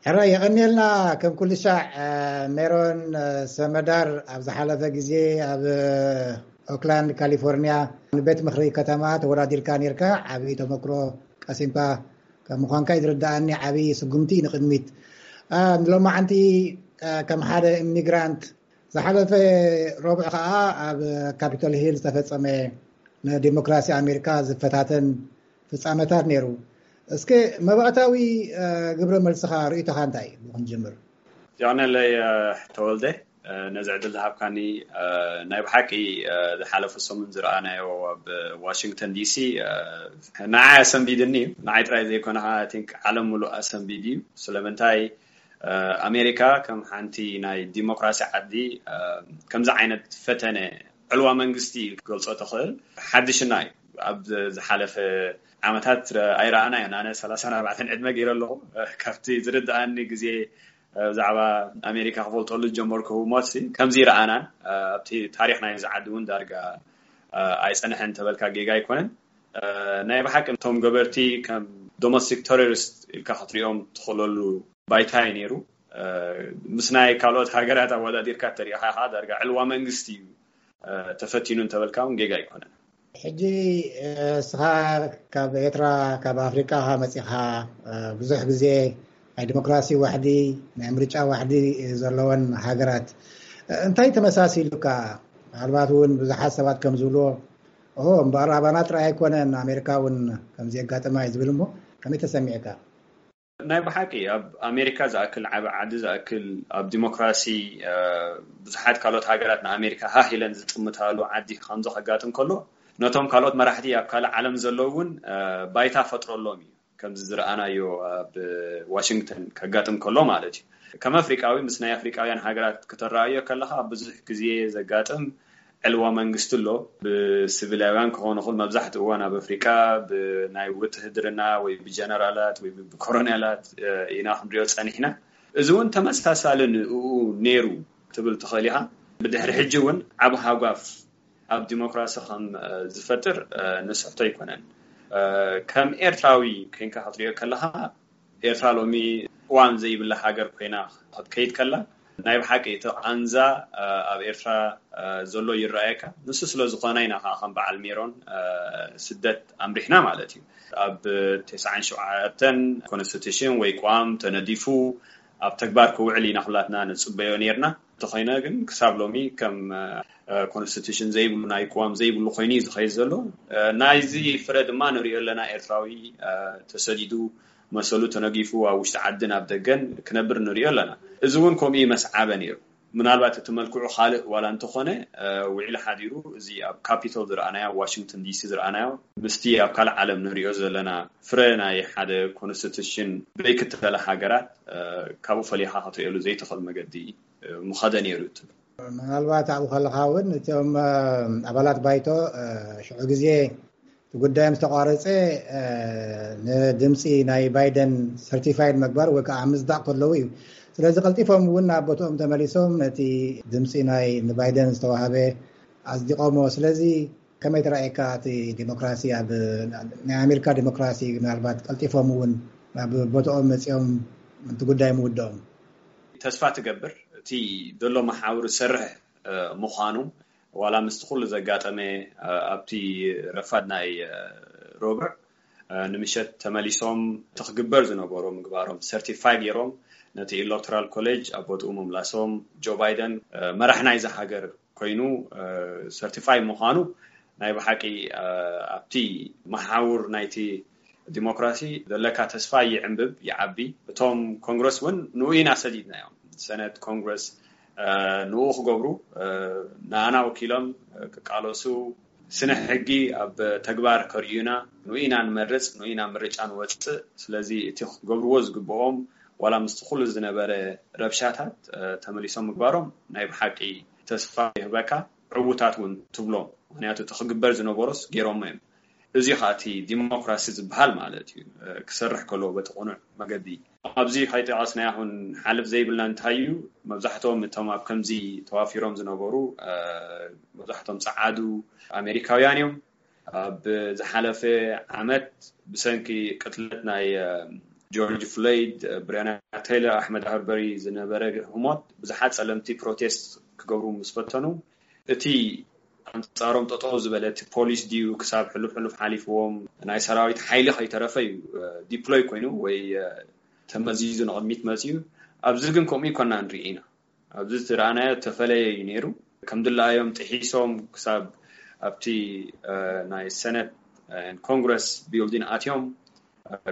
ሕራይ የቐንየልና። ከም ኩሉ ሻዕ ሜሮን ሰመዳር ኣብ ዝሓለፈ ግዜ ኣብ ኦክላንድ ካሊፎርኒያ ንቤት ምኽሪ ከተማ ተወዳዲርካ ነርካ። ዓብዪ ተመክሮ ቀሲምካ ከም ምዃንካ እዩ ዝርዳኣኒ። ዓብዪ ስጉምቲ እዩ ንቕድሚት። ንሎማዓንቲ ከም ሓደ ኢሚግራንት ዝሓለፈ ረቡዕ ከዓ ኣብ ካፒቶል ሂል ዝተፈጸመ ንዲሞክራሲ ኣሜሪካ ዝፈታተን ፍጻመታት ነይሩ። እስከ መባእታዊ ግብረ መልስኻ ርእይቶኻ እንታይ እዩ? ብክንጅምር ዮናለይ ተወልደ፣ ነዚ ዕድል ዝሃብካኒ። ናይ ብሓቂ ዝሓለፈ ሰሙን ዝረኣናዮ ኣብ ዋሽንግተን ዲሲ ንዓይ ኣሰንቢድኒ እዩ። ንዓይ ጥራይ ዘይኮነ ከዓ ቲንክ ዓለም ሙሉእ ኣሰንቢድ እዩ። ስለምንታይ ኣሜሪካ ከም ሓንቲ ናይ ዲሞክራሲ ዓዲ ከምዚ ዓይነት ፈተነ ዕልዋ መንግስቲ ክትገልጾ ትኽእል ሓድሽና እዩ። ኣብ ዝሓለፈ ዓመታት ኣይረኣና ኢና። ኣነ ሰላሳን ኣርባዕተን ዕድመ ገይረ ኣለኹ። ካብቲ ዝርድኣኒ ግዜ ብዛዕባ ኣሜሪካ ክፈልጠሉ ዝጀመርኩ ህሞት ከምዚ ይረኣናን ኣብቲ ታሪኽ ናይ ዝዓዲ እውን ዳርጋ ኣይፀንሐን ተበልካ ጌጋ ኣይኮነን። ናይ ብሓቂ እቶም ገበርቲ ከም ዶሜስቲክ ቴሮሪስት ኢልካ ክትሪኦም ትኽእለሉ ባይታ እዩ ነይሩ። ምስ ናይ ካልኦት ሃገራት ኣወዳዲርካ ተሪኢኻ ከዓ ዳርጋ ዕልዋ መንግስቲ እዩ ተፈቲኑ እንተበልካ እውን ጌጋ ኣይኮነን። ሕጂ እስኻ ካብ ኤርትራ ካብ ኣፍሪቃ መፂኻ ብዙሕ ግዜ ናይ ዲሞክራሲ ዋሕዲ ናይ ምርጫ ዋሕዲ ዘለወን ሃገራት እንታይ ተመሳሲሉካ? ምናልባት እውን ብዙሓት ሰባት ከም ዝብልዎ እምበኣር ኣባና ጥራይ ኣይኮነን ኣሜሪካ እውን ከምዚ የጋጥማ እዩ ዝብል እሞ ከመይ ተሰሚዕካ? ናይ ብሓቂ ኣብ ኣሜሪካ ዝኣክል ዓቢ ዓዲ ዝኣክል ኣብ ዲሞክራሲ ብዙሓት ካልኦት ሃገራት ንኣሜሪካ ሃህ ኢለን ዝጥምታሉ ዓዲ ከምዚ ከጋጥም ከሎ ነቶም ካልኦት መራሕቲ ኣብ ካልእ ዓለም ዘለዉ እውን ባይታ ፈጥረሎም እዩ። ከምዚ ዝረኣናዮ ኣብ ዋሽንግተን ከጋጥም ከሎ ማለት እዩ። ከም ኣፍሪቃዊ ምስ ናይ ኣፍሪቃውያን ሃገራት ከተረኣዮ ከለካ ብዙሕ ግዜ ዘጋጥም ዕልዋ መንግስቲ ኣሎ። ብስቪላውያን ክኾኑ ይኽእል፣ መብዛሕትኡ እዋን ኣብ ኣፍሪቃ ብናይ ውትህድርና ወይ ብጀነራላት ወይ ብኮሮኔላት ኢና ክንሪኦ ጸኒሕና። እዚ እውን ተመሳሳሊ ንኡ ነይሩ ትብል ትኽእል ኢኻ። ብድሕሪ ሕጂ እውን ዓብ ሃጓፍ ኣብ ዲሞክራሲ ከም ዝፈጥር ንስሕቶ ኣይኮነን። ከም ኤርትራዊ ኮይንካ ክትሪኦ ከለኻ ኤርትራ ሎሚ ቅዋም ዘይብላ ሃገር ኮይና ክትከይድ ከላ ናይ ብሓቂ እቲ ቃንዛ ኣብ ኤርትራ ዘሎ ይረኣየካ። ንሱ ስለ ዝኾነ ኢና ከዓ ከም በዓል ሜሮን ስደት ኣምሪሕና ማለት እዩ። ኣብ ተስዓን ሸውዓተን ኮንስቲቱሽን ወይ ቅዋም ተነዲፉ ኣብ ተግባር ክውዕል ኢና ኩላትና ንጽበዮ ነርና። እንተኾይነ ግን ክሳብ ሎሚ ከም ኮንስቲቱሽን ዘይብሉ ናይ ቅዋም ዘይብሉ ኮይኑ እዩ ዝኸይድ ዘሎ። ናይዚ ፍረ ድማ ንሪኦ ኣለና። ኤርትራዊ ተሰዲዱ መሰሉ ተነጊፉ ኣብ ውሽጢ ዓድን ኣብ ደገን ክነብር ንሪኦ ኣለና። እዚ እውን ከምኡ መስዓበ ነይሩ። ምናልባት እቲ መልክዑ ካልእ ዋላ እንተኾነ ውዒሉ ሓዲሩ እዚ ኣብ ካፒቶል ዝረኣናዮ ኣብ ዋሽንግተን ዲሲ ዝረኣናዮ ምስቲ ኣብ ካልእ ዓለም ንሪኦ ዘለና ፍረ ናይ ሓደ ኮንስቲቱሽን ብዘይክተለ ሃገራት ካብኡ ፈሊኻ ክትሪኦሉ ዘይትኽእል መገዲ ምኸደ ነይሩ ትብል። ምናልባት ኣብኡ ከለኻ እውን እቶም ኣባላት ባይቶ ሽዑ ግዜ እቲ ጉዳዮም ዝተቋረፀ ንድምፂ ናይ ባይደን ሰርቲፋይድ ምግባር ወይ ከዓ ምፅዳቕ ከለዉ እዩ። ስለዚ ቀልጢፎም እውን ናብ ቦትኦም ተመሊሶም ነቲ ድምፂ ናይ ንባይደን ዝተዋሃበ ኣፅዲቖሞ። ስለዚ ከመይ ተራእየካ እቲ ዲሞክራሲ ኣብ ናይ ኣሜሪካ ዲሞክራሲ ምናልባት ቀልጢፎም እውን ናብ ቦትኦም መፂኦም እቲ ጉዳይ ምውድኦም? ተስፋ ትገብር እቲ ዘሎ መሓውር ዝሰርሕ ምዃኑ ዋላ ምስቲ ኩሉ ዘጋጠመ ኣብቲ ረፋድ ናይ ሮብዕ ንምሸት ተመሊሶም እቲ ክግበር ዝነበሮ ምግባሮም ሰርቲፋይ ገይሮም ነቲ ኤሌክቶራል ኮሌጅ ኣብ ቦትኡ ምምላሶም ጆ ባይደን መራሕ ናይዛ ሃገር ኮይኑ ሰርቲፋይ ምዃኑ ናይ ብሓቂ ኣብቲ መሓውር ናይቲ ዲሞክራሲ ዘለካ ተስፋ ይዕንብብ ይዓቢ። እቶም ኮንግረስ እውን ንኡ ኢና ሰዲድናዮም። ሰነት ኮንግረስ ንኡ ክገብሩ ንኣና ወኪሎም ክቃለሱ ስነ ሕጊ ኣብ ተግባር ከርእዩና ንኡ ኢና ንመርፅ ንኡ ኢና ምርጫ ንወፅእ። ስለዚ እቲ ክገብርዎ ዝግብኦም ዋላ ምስቲ ኩሉ ዝነበረ ረብሻታት ተመሊሶም ምግባሮም ናይ ብሓቂ ተስፋ ይህበካ። ዕዉታት እውን ትብሎም። ምክንያቱ እቲ ክግበር ዝነበሮስ ገይሮሞ እዮም። እዚ ከዓ እቲ ዲሞክራሲ ዝበሃል ማለት እዩ። ክሰርሕ ከለዎ በቲ ቅኑዕ መገዲ ኣብዚ ከይጠቐስናዮ ክንሓልፍ ዘይብልና እንታይ እዩ፣ መብዛሕትኦም እቶም ኣብ ከምዚ ተዋፊሮም ዝነበሩ መብዛሕትኦም ጸዓዱ ኣሜሪካውያን እዮም። ኣብ ዝሓለፈ ዓመት ብሰንኪ ቅትለት ናይ ጆርጅ ፍሎይድ፣ ብሪያና ቴይለር፣ ኣሕመድ ኣርበሪ ዝነበረ ህሞት ብዙሓት ጸለምቲ ፕሮቴስት ክገብሩ ምስ ፈተኑ፣ እቲ ኣንጻሮም ጠጠው ዝበለ እቲ ፖሊስ ድዩ ክሳብ ሕሉፍ ሕሉፍ ሓሊፍዎም ናይ ሰራዊት ሓይሊ ከይተረፈ እዩ ዲፕሎይ ኮይኑ ወይ ተመዚዙ ንቕድሚት መፅዩ። ኣብዚ ግን ከምኡ ይኮና ንርኢ ኢና። ኣብዚ ዝረኣናዮ ተፈለየ እዩ ነይሩ። ከም ድላዮም ጥሒሶም ክሳብ ኣብቲ ናይ ሰነት ኮንግረስ ቢልዲን ኣትዮም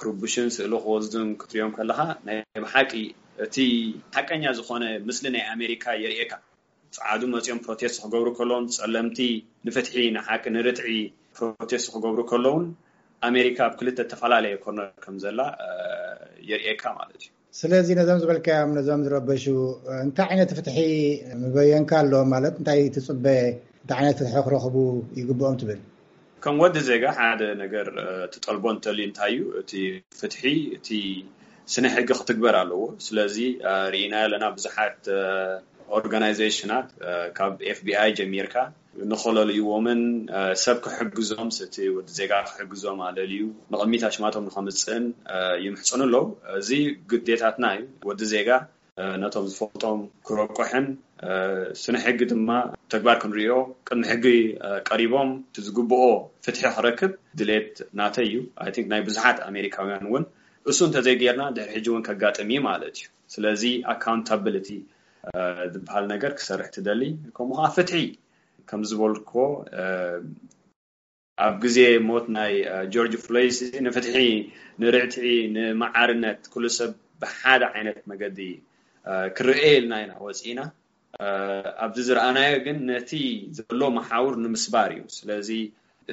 ክርቡሽን ስእሊ ክወስዱን ክትሪኦም ከለካ ናይ ብሓቂ እቲ ሓቀኛ ዝኾነ ምስሊ ናይ ኣሜሪካ የርእየካ። ፃዓዱ መፂኦም ፕሮቴስት ክገብሩ ከለውን ጸለምቲ ንፍትሒ ንሓቂ ንርትዒ ፕሮቴስት ክገብሩ ከለውን ኣሜሪካ ኣብ ክልተ ተፈላለየ ኮርነር ከም ዘላ የርእየካ ማለት እዩ። ስለዚ ነዞም ዝበልካዮም ነዞም ዝረበሹ እንታይ ዓይነት ፍትሒ ምበየንካ ኣሎ ማለት እንታይ ትፅበ እንታይ ዓይነት ፍትሒ ክረኽቡ ይግብኦም ትብል? ከም ወዲ ዜጋ ሓደ ነገር ትጠልቦ እንተልዩ እንታይ እዩ እቲ ፍትሒ እቲ ስነ ሕጊ ክትግበር ኣለዎ። ስለዚ ርኢና ኣለና ብዙሓት ኦርጋናይዜሽናት ካብ ኤፍቢኣይ ጀሚርካ ንኸለልይዎምን ሰብ ክሕግዞም ስቲ ወዲ ዜጋ ክሕግዞም ኣለልዩ ንቕሚት ኣሽማቶም ንኸምፅእን ይምሕፅኑ ኣለዉ። እዚ ግዴታትና እዩ። ወዲ ዜጋ ነቶም ዝፈልጦም ክረቁሕን ስነ ሕጊ ድማ ተግባር ክንሪኦ ቅድሚ ሕጊ ቀሪቦም ዝግብኦ ፍትሒ ክረክብ ድሌት ናተይ እዩ። ኣይ ቲንክ ናይ ብዙሓት ኣሜሪካውያን እውን እሱ እንተዘይጌርና ድሕሪ ሕጂ እውን ከጋጥም እዩ ማለት እዩ። ስለዚ ኣካውንታብሊቲ ዝበሃል ነገር ክሰርሕ ትደሊ ከምኡ ከዓ ፍትሒ ከም ዝበልኮ ኣብ ግዜ ሞት ናይ ጆርጅ ፍሎይድ ንፍትሒ ንርዕትዒ ንመዓርነት ኩሉ ሰብ ብሓደ ዓይነት መገዲ ክረኤ ኢልና ኢና ወፂእና። ኣብዚ ዝረኣናዮ ግን ነቲ ዘሎ መሓውር ንምስባር እዩ። ስለዚ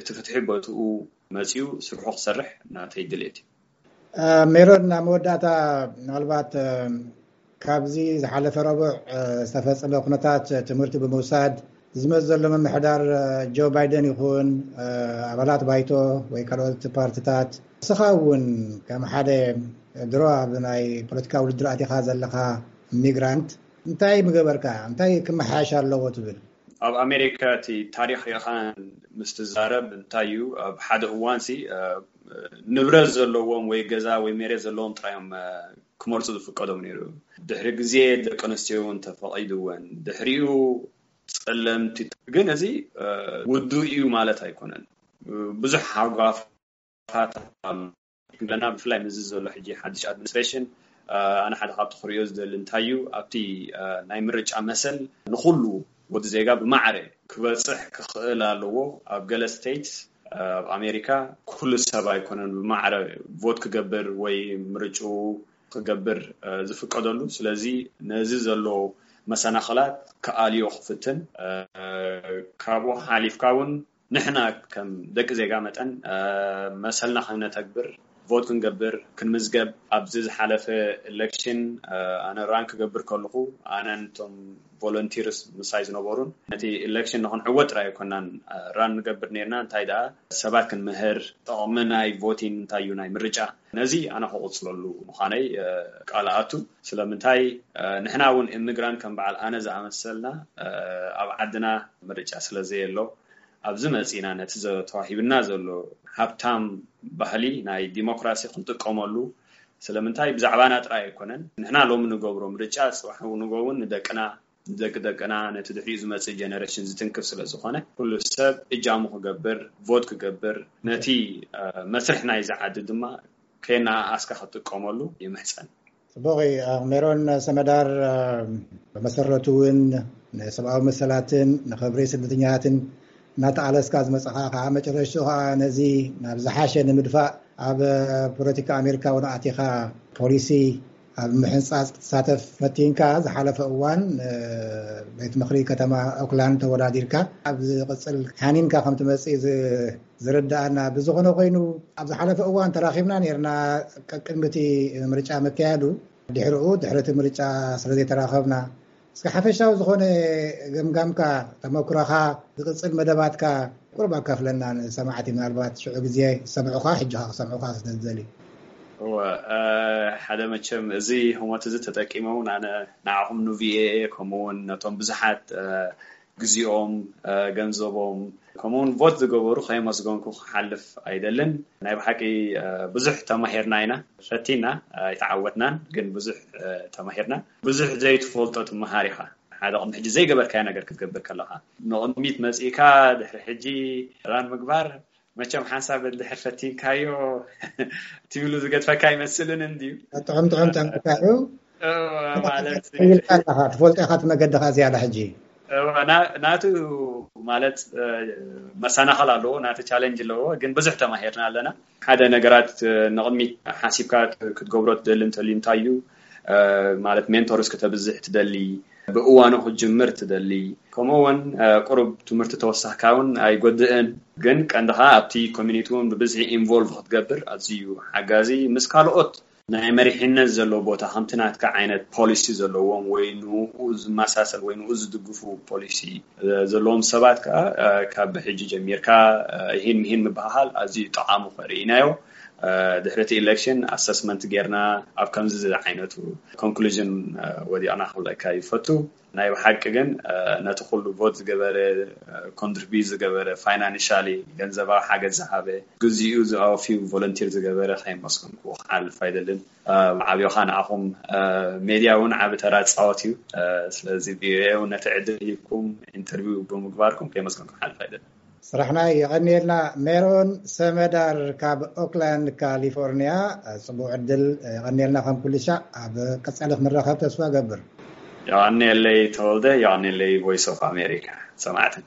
እቲ ፍትሒ በትኡ መፅዩ ስርሑ ክሰርሕ ናተይ ድሌት እዩ። ሜሮን ናብ መወዳእታ ምናልባት ካብዚ ዝሓለፈ ረቡዕ ዝተፈፀመ ኩነታት ትምህርቲ ብምውሳድ ዝመፅ ዘሎ ምምሕዳር ጆ ባይደን ይኹን ኣባላት ባይቶ ወይ ካልኦት ፓርትታት ንስኻ እውን ከም ሓደ ድሮ ኣብ ናይ ፖለቲካ ውድድር ኣቲኻ ዘለኻ ሚግራንት እንታይ ምገበርካ እንታይ ክመሓየሽ ኣለዎ ትብል? ኣብ ኣሜሪካ እቲ ታሪክ ሪእኻ ምስ ትዛረብ እንታይ እዩ ኣብ ሓደ እዋን ሲ ንብረት ዘለዎም ወይ ገዛ ወይ መሬት ዘለዎም ጥራዮም ክመርፁ ዝፍቀዶም ነይሩ። ድሕሪ ግዜ ደቂ ኣንስትዮ እውን ተፈቒድወን ድሕሪኡ ጸለምቲ ግን እዚ ውዱ እዩ ማለት ኣይኮነን። ብዙሕ ሃጓፋት ኣለና ብፍላይ ምስዚ ዘሎ ሕጂ ሓድሽ ኣድሚኒስትሬሽን ኣነ ሓደ ካብቲ ክሪኦ ዝደሊ እንታይ እዩ ኣብቲ ናይ ምርጫ መሰል ንኩሉ ወዲ ዜጋ ብማዕረ ክበፅሕ ክኽእል ኣለዎ። ኣብ ገለ ስቴትስ ኣብ ኣሜሪካ ኩሉ ሰብ ኣይኮነን ብማዕረ ቮት ክገብር ወይ ምርጭኡ ክገብር ዝፍቀደሉ። ስለዚ ነዚ ዘሎ መሰናኽላት ክኣልዮ ክፍትን ካብኡ ሓሊፍካ እውን ንሕና ከም ደቂ ዜጋ መጠን መሰልና ክነተግብር ቮት ክንገብር ክንምዝገብ ኣብዚ ዝሓለፈ ኤሌክሽን ኣነ ራን ክገብር ከለኹ ኣነ ነቶም ቮለንቲርስ ምሳይ ዝነበሩን ነቲ ኤሌክሽን ንክንዕወት ጥራይ ኣይኮናን ራን ንገብር ነርና እንታይ ደኣ ሰባት ክንምህር ጥቕሚ ናይ ቮቲን እንታይ እዩ ናይ ምርጫ ነዚ ኣነ ክቕፅለሉ ምዃነይ ቃል ኣቱ። ስለምንታይ ንሕና እውን ኢሚግራንት ከም በዓል ኣነ ዝኣመሰልና ኣብ ዓድና ምርጫ ስለዘየሎ ኣብዚ መፂና ነቲ ተዋሂብና ዘሎ ሃብታም ባህሊ ናይ ዲሞክራሲ ክንጥቀመሉ ስለምንታይ ብዛዕባና ጥራይ ኣይኮነን ንሕና ሎሚ ንገብሮ ምርጫ ፅባሕ ንጎ እውን ንደቅና ንደቂ ደቅና ነቲ ድሕሪኡ ዝመፅእ ጀነሬሽን ዝትንክፍ ስለዝኾነ ኩሉ ሰብ እጃሙ ክገብር ቮት ክገብር ነቲ መስርሕ ናይዚ ዓዲ ድማ ከየነኣኣስካ ክትጥቀመሉ ይምሕፀን። ፅቡቕ እዩ። ሜሮን ሰመዳር ብመሰረቱ እውን ንሰብኣዊ መሰላትን ንክብሪ ስደተኛታትን እናተቓለስካ ዝመፀኻ ከዓ መጨረሽቱ ከዓ ነዚ ናብ ዝሓሸ ንምድፋእ ኣብ ፖለቲካ ኣሜሪካ እውን ኣቲኻ ፖሊሲ ኣብ ምሕንፃፅ ክትሳተፍ ፈቲንካ ዝሓለፈ እዋን ቤት ምክሪ ከተማ ኦክላንድ ተወዳዲርካ ኣብ ዝቕፅል ሓኒንካ ከም ትመፅእ ዝርዳኣና ብዝኾነ ኮይኑ ኣብ ዝሓለፈ እዋን ተራኺብና ነርና ቅድሚቲ ምርጫ ምክያዱ ድሕርኡ ድሕርቲ ምርጫ ስለዘይተራኸብና እስከ ሓፈሻዊ ዝኾነ ገምጋምካ ተመክሮኻ ዝቕፅል መደባትካ ቁሩብ ኣካፍለና ንሰማዕቲ ምናልባት ሽዑ ግዜ ዝሰምዑኻ ሕጂ ክሰምዑኻ ስለዝደልዩ። እወ ሓደ መቸም እዚ ህሞት እዚ ተጠቂሞም ኣነ ንዓኹም ንቪኦኤ ከምኡ እውን ነቶም ብዙሓት ግዜኦም፣ ገንዘቦም፣ ከምኡውን ቮት ዝገበሩ ከየመስገንኩ ክሓልፍ ኣይደልን። ናይ ብሓቂ ብዙሕ ተማሂርና ኢና፣ ፈቲና ኣይተዓወትናን፣ ግን ብዙሕ ተማሂርና። ብዙሕ ዘይትፈልጦ ትመሃር ኢኻ። ሓደ ቅድሚ ሕጂ ዘይገበርካዮ ነገር ክትገብር ከለኻ፣ ንቕድሚት መጺእካ ድሕሪ ሕጂ ራን ምግባር፣ መቸም ሓንሳብ እንድሕር ፈቲንካዮ ትብሉ ዝገድፈካ ኣይመስልን እንድዩ። ጥዑም ጥዑም ጠንቅካ እዩ። ማለት ኢልካ ኣለኻ፣ ትፈልጦ ኢኻ እቲ መገድኻ ዝያዳ ሕጂ። ናቱ ማለት መሰናኸል ኣለዎ፣ ናቱ ቻለንጅ ኣለዎ፣ ግን ብዙሕ ተማሂርና ኣለና። ሓደ ነገራት ንቕድሚት ሓሲብካ ክትገብሮ ትደሊ እንተልዩ እንታይ እዩ? ማለት ሜንቶርስ ከተብዝሕ ትደሊ፣ ብእዋኑ ክትጅምር ትደሊ፣ ከምኡ እውን ቁሩብ ትምህርቲ ተወሳኽካ እውን ኣይጎድእን። ግን ቀንድኻ ኣብቲ ኮሚኒቲ እውን ብብዝሒ ኢንቮልቭ ክትገብር ኣዝዩ ሓጋዚ፣ ምስ ካልኦት ናይ መሪሕነት ዘለዎ ቦታ ከምቲ ናትካ ዓይነት ፖሊሲ ዘለዎም ወይ ንኡ ዝመሳሰል ወይ ንኡ ዝድግፉ ፖሊሲ ዘለዎም ሰባት ከዓ ካብ ሕጂ ጀሚርካ ይህን ምሂን ምበሃሃል ኣዝዩ ጠቓሙ ከርኢ ኢናዮ። ድሕሪ እቲ ኢሌክሽን ኣሰስመንት ጌርና ኣብ ከምዚ ዓይነቱ ኮንክሉዥን ወዲቕና ክብለካ ይፈቱ። ናይ ብሓቂ ግን ነቲ ኩሉ ቮት ዝገበረ፣ ኮንትሪቢዩት ዝገበረ፣ ፋይናንሻሊ ገንዘባዊ ሓገዝ ዝሃበ፣ ግዚኡ ዝኣወፍዩ ቮለንቲር ዝገበረ ከየመስገንኩ ክሓልፍ ኣይደልን። ዓብዮኻ ንዓኹም ሜድያ እውን ዓቢ ተራ ዝፃወት እዩ። ስለዚ ቪኦኤ እውን ነቲ ዕድል ሂብኩም ኢንተርቪው ብምግባርኩም ከየመስገንኩ ክሓልፍ ኣይደልን። ስራሕና የቐንየልና። ሜሮን ሰመዳር ካብ ኦክላንድ ካሊፎርኒያ፣ ፅቡቅ ዕድል። የቐንየልና ከም ኩሉ ሻዕ ኣብ ቀፃሊ ክንራኸብ ተስፋ ገብር። የቐንየለይ ተወልደ፣ የቐንየለይ ቮይስ ኦፍ ኣሜሪካ ሰማዕትና።